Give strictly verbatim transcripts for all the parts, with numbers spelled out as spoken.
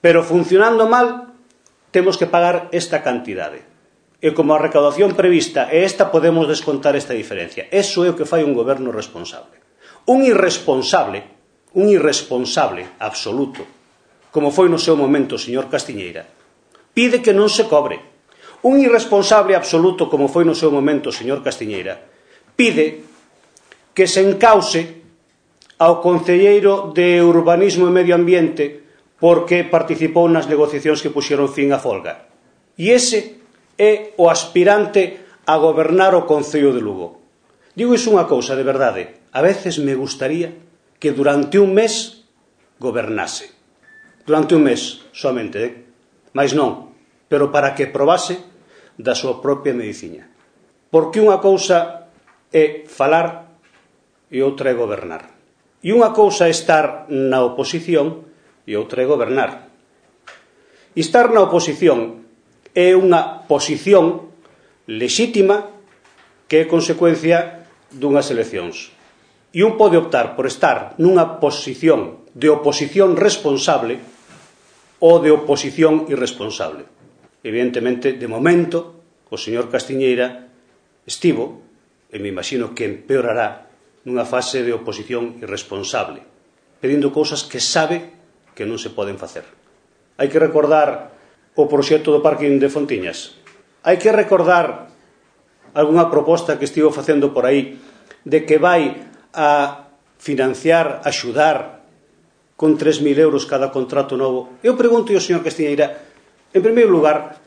pero funcionando mal temos que pagar esta cantidade. E como a recaudación prevista é esta, podemos descontar esta diferencia. Eso é o que fai un goberno responsable. Un irresponsable, un irresponsable absoluto, como foi no seu momento o señor Castiñeira, pide que non se cobre. Un irresponsable absoluto, como foi no seu momento o señor Castiñeira, pide que se encause ao concelleiro de Urbanismo e Medio Ambiente porque participou nas negociacións que puxeron fin á folga. E ese é o aspirante a gobernar o Concello de Lugo. Digo iso unha cousa, de verdade, a veces me gustaría que durante un mes gobernase. Durante un mes, somente, eh? Mais non, pero para que probase da súa propia medicina. Porque unha cousa é falar e outra é gobernar. E unha cousa é estar na oposición e outra é gobernar. E estar na oposición é unha posición lexítima que é consecuencia dunhas eleccións. E un pode optar por estar nunha posición de oposición responsable ou de oposición irresponsable. Evidentemente, de momento, o señor Castiñeira estivo, e me imagino que empeorará, nunha fase de oposición irresponsable, pedindo cousas que sabe que non se poden facer. Hai que recordar o proxecto do parking de Fontiñas. Hai que recordar algunha proposta que estivo facendo por aí de que vai a financiar, axudar con tres mil euros cada contrato novo. Eu pregunto ao señor Castiñeira, en primeiro lugar,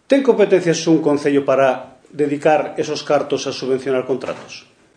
ten competencias un concello para dedicar esos cartos a subvencionar contratos?